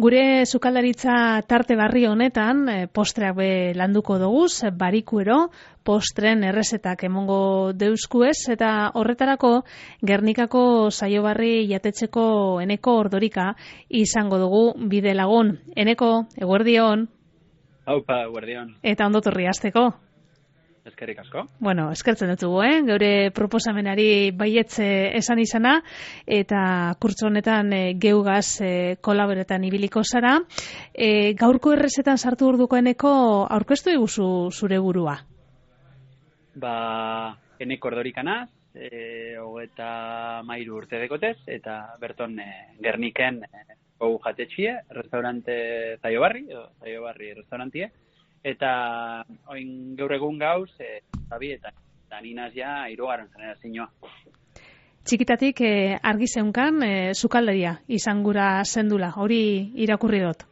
Gure sukaldaritza tarte barri honetan postreak be landuko doguz, barikuero, postren errezetak emongo deuskuez, eta horretarako Gernikako saiobarri jatetxeko Eneko Ordorika izango dugu bide lagun. Eneko, eguerdion. Haupa, eguerdion. Eta ondotorri hasteko. Eskerrik asko. Bueno, eskertzen dutugu, geure proposamenari baietze esan izana, eta kurtso honetan geugaz kolaboretan ibiliko zara. Gaurko errezetan sartu urduko Eneko, aurkeztu iguzu zure burua? Eneko Ordorikanaz, 33 urte dekotez, eta berton Gerniken gau jatetxie, restaurante Zaiobarri restaurantie, eta oin gaur egun gauz, zabi eta ninaz ja irugarren generazioa. Txikitatik argi zeunkan sukaldaria izan gura zendula, hori irakurri dut.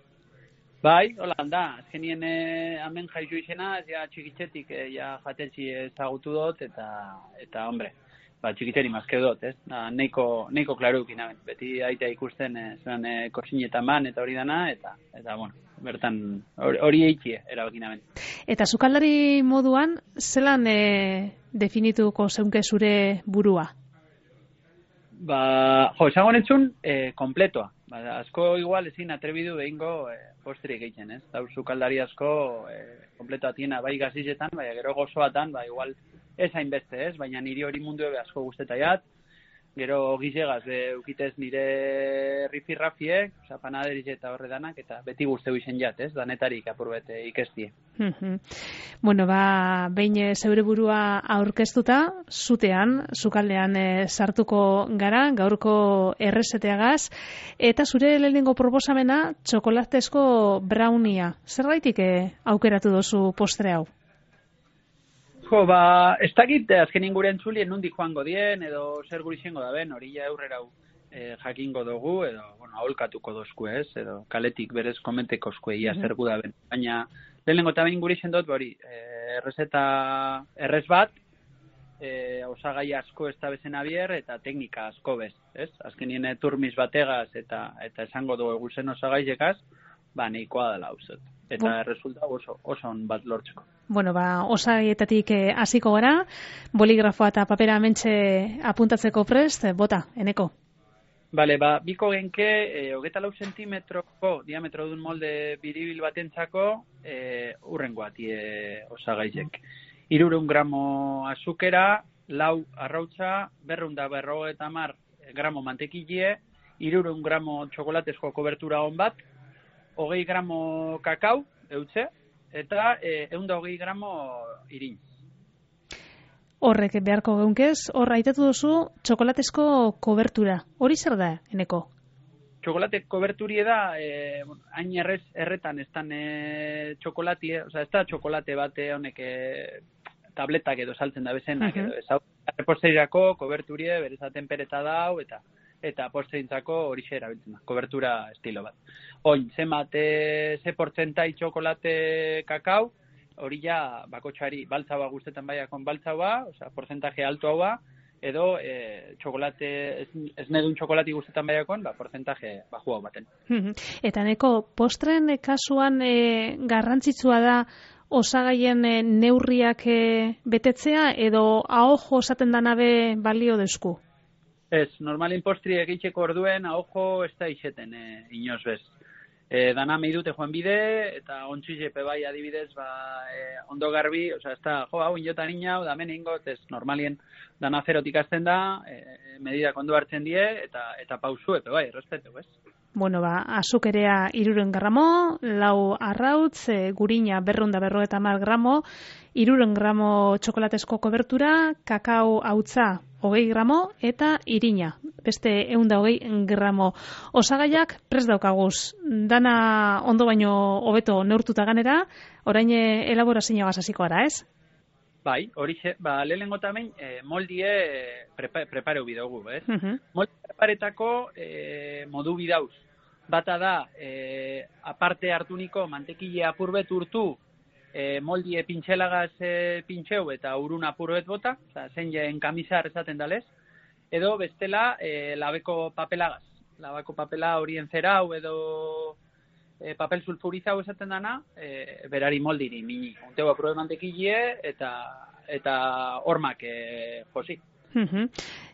Bai, hola da, azkenien hemen jaizu izena, ja txikitzetik ja jatetxi ezagutu dut, eta hombre, txikiteri mazke dut, ez? Neiko klarukin, beti aita ikusten zelan kosinetan ban, eta hori dana, eta bueno, bertan hori eitxie erabakin hemen. Eta sukaldari moduan, zelan definituko zeunke zure burua? Esango netzun, kompletoa. Asko igual ezin atrebidu behingo postrik egiten, ez? Dau sukaldari asko kompletoa tiena, bai gazizetan, bai gero gozoatan, bai igual ez hainbeste, ez? Baina niri hori mundu ebe asko guztetaiat. Gero gizegaz, ukitez nire rifirrafiek, panaderiz eta horre danak, eta beti guzteu izen jat, ez? Danetarik apurbete ikestie. Bueno, behin zeure burua aurkeztuta, zutean, sukaldean sartuko gara, gaurko errezeteagaz, eta zure lehenengo proposamena, txokolatezko brownia. Zerbaitik aukeratu dozu postre hau? Ez dakit azken inguren txulien nundik joango dien, edo zer gurixengo da ben, hori ja aurrera jakingo dugu, edo, aholkatuko dozku ez, edo kaletik berez komenteko zkue, ia zer gu da ben. Baina, lehenengo eta behin gurixen dut, errezeta errez bat, osagai asko ez da bezen abier, eta teknika asko bez, ez? Azkenien turmiz bategaz, eta esango dugu eguzen osagaizekaz, nahikoa dela hauzet. Eta resulta oso on bat lortzeko. Bueno, osagaietatik hasiko gara, boligrafoa eta papera hementxe apuntatzeko prest, bota, Eneko. Bale, biko genke, 24 zentimetroko diametro dun molde biribil batentzako urrengoat osagaizek. 300 gramo azukera, 4 arrautza, 250 gramo mantekilie, 300 gramo txokolatezko kobertura on bat, 20 gramo kakao, eutze, eta 120 gramo irin. Horrek beharko geunkez, aitatu duzu txokolatezko kobertura. Hori zer da, Eneko? Txokolate koberturie da, hain erretan ez dan txokolatie, ez da txokolate bate honek tabletak edo saltzen da bezenak, edo ez hau. Reposterirako koberturie berezaten pereta dau, eta posterintzako hori erabiltzen da, kobertura estilo bat. Oin, ze portzentai txokolate kakao, hori ja bakotxari baltzaua guztetan baiakon baltzaua, portzentaje alto hau edo txokolate, ez nedun txokolati guztetan baiakon, portzentaje baju hau baten. Eta Eneko, postren kasuan garrantzitsua da osagaien neurriak betetzea, edo ahojo esaten danabe balio deusku? Ez, normalin postri egitxeko orduen, ahojo ez da iseten inoz bez. Dana meidute joan bide, eta ontsuizepe bai adibidez, ondo garbi, ez da, hau inota nina, da men ingot, ez normalien dana zerotik azten da, medidak ondo hartzen die, eta pausu, epe bai, errespetu, ez? Bueno, azukerea 300 gramo, 4 arrautz, gurina 250 gramo, 300 gramo txokolatezko kobertura, kakao hautza 20 gramo, eta irina, beste 120 gramo. Osagaiak prest daukaguz, dana ondo baino hobeto neurtuta ganera, orain elaborazioa hasiko gara, ez? Bai, horixe, lehenengo tamen moldie prepareu bidogu, ez? Moldi preparetako modu bidauz. Bata da, aparte hartuniko mantekile apurbet urtu, moldie pintxelagaz pintxeu eta urun apurbet bota, zen jen kamizar esaten dalez, edo bestela labeko papelagaz. Labeko papela horien zerau edo papel sulfurizau esaten dana, berari moldiri mini. Unteu aprobe mantekilie eta hormak josi.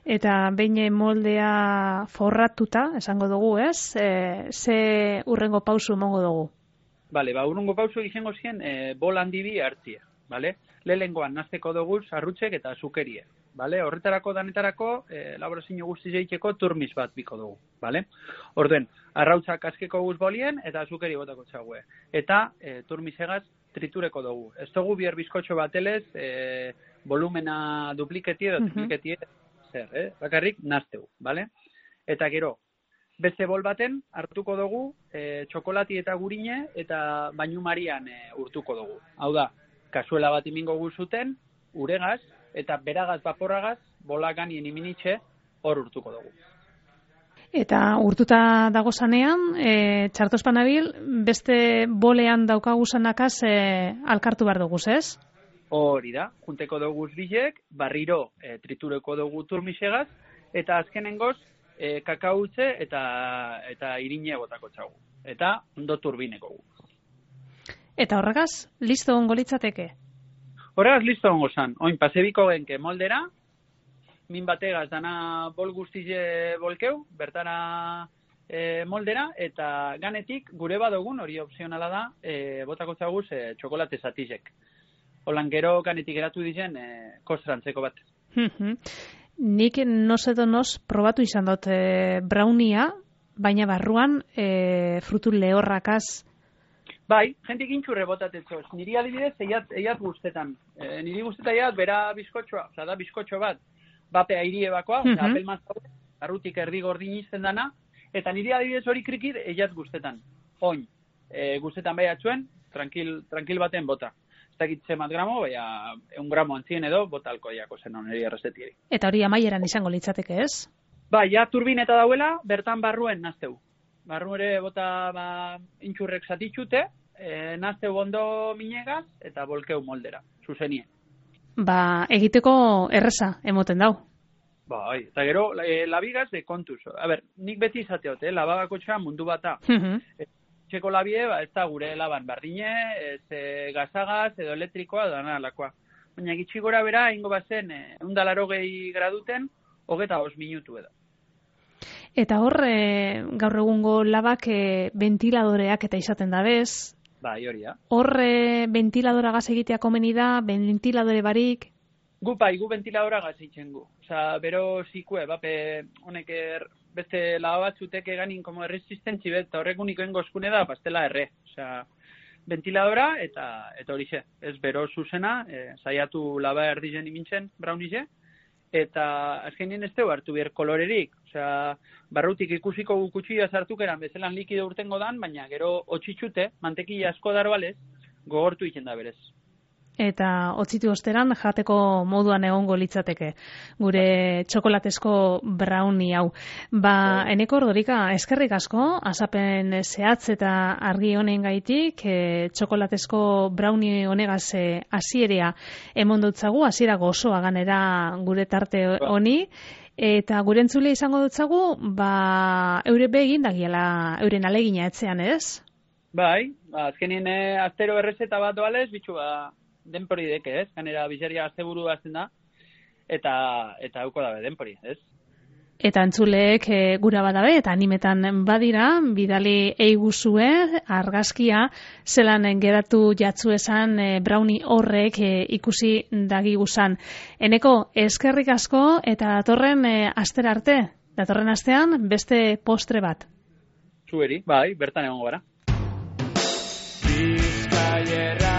Eta behin moldea forratuta, esango dugu, ez? Ze urrengo pausu emango dugu? Bale, urrengo pausu izango zien bol handi bi hartzia, bale? Lehengoan nazteko dugu arrutzek eta azukerie, bale? Horretarako danetarako elaborazio guztiz egiteko turmis bat biko dugu, bale? Orduen, arrautzak askeko guz bolien eta azukeri botako txague. Eta turmisegaz tritureko dugu. Ez dugu bier bizkotxo batelez volumena dupliketie edo dupliketie zer, bakarrik nazteu, bale? Eta gero, beste bol baten hartuko dugu txokolati eta gurine eta bainu marian urtuko dugu. Hau da, kasuela bat imingo guzuten, uregaz eta beragaz vaporagaz bolaganien iminitxe hor urtuko dugu. Eta urtuta dago zanean, txartospanabil, beste bolean daukaguzanakaz alkartu behar duguz, ez? Hori da, junteko dugu bilek, barriro tritureko dugu turmisegaz, eta azkenengoz, kakautze eta irine botako txagu. Eta ondo turbineko gu. Eta horregaz, listo ongo litzateke? Horregaz listo ongo zan. Oin, pasebiko genke moldera, min bategaz dana bol guztize bolkeu, bertara moldera, eta ganetik gure badogun, hori opzionala da, botako txaguz txokolate zatizek. Holan gero ganetik eratu dizen kostrantzeko bat. Nik noz probatu izan dut brownia, baina barruan frutu lehorrakaz. Bai, jentik intxurre botatetzoz. Niri adibidez, eiat guztetan. Niri guztetan eiat bera bizkotxoa, oza da bizkotxo bat, bape airie bakoa, apel maztau, arrutik erdi gordin izten dana, eta niri adibidez hori krikit eiat guztetan. Oin, guztetan bai atzuen, tranquil baten bota. Ez dakit zemat gramo, baina 1 gramo antzien edo, bota alkoiako zen oneri errezetieri. Eta hori amaieran izango litzateke, ez? Ba, ja turbineta dauela, bertan barruen nazteu. Barru ere bota intxurrek zatitxute, nazteu ondo minegaz, eta bolkeu moldera, zuzenien. Ba, egiteko erreza, emoten dau. Bai, eta gero, labigaz de kontuz. A ber, nik beti izateot, labagako txan mundu bata. Txeko labie, ez da gure laban bardine, ez gazagaz, edo elektrikoa, edo analakoa. Baina gitxi gora bera, ingo bazen, 180 graduten, 25 minutu edo. Eta hor, gaur egungo labak ventiladoreak eta izaten da bez. Bai, hori da. Hor, ventiladora gaz egitea komeni da, ventiladore barik? Gu ventiladora gaz egiten gu. Osa, bero zikue, bape, honek beste laba batzutek eganin como resistentzi bet, eta horrek uniko engozkune da, pastela erre. Osea, ventiladora eta horixe. Ez bero zuzena, saiatu laba erdizen imintzen, braunize, eta azkenien ez teu hartu bier kolorerik. Osea, barrutik ikusiko gukutxia sartukeran bezelan likido urtengo dan, baina gero otxitxute, mantekila asko daroalez, gogortu iken da berez. Eta otzitu osteran jateko moduan egongo litzateke gure txokolatezko brownie hau. Ba, Eneko Ordorika, eskerrik asko, azapen zehatz eta argi honen gaitik, txokolatezko brownie honegaz hasierea emon dutzagu, hasiera gozoa ganera gure tarte honi, eta gure entzule izango dutzagu, ba, eure begin dagiela euren alegina etzean, ez? Bai, azkenien astero errezeta bat doalez, bitxu denpori deke, ez? Ganera bizeria asteburu azten da, eta hauko dabe denpori, ez? Eta entzuleek gura badabe, eta animetan badira, bidali eiguzue, argazkia, zelan geratu jatzu esan brownie horrek ikusi dagiguzan. Eneko, eskerrik asko, eta datorren astera arte, datorren astean beste postre bat. Zueri, bai, bertan egongo gara. Bizkaierra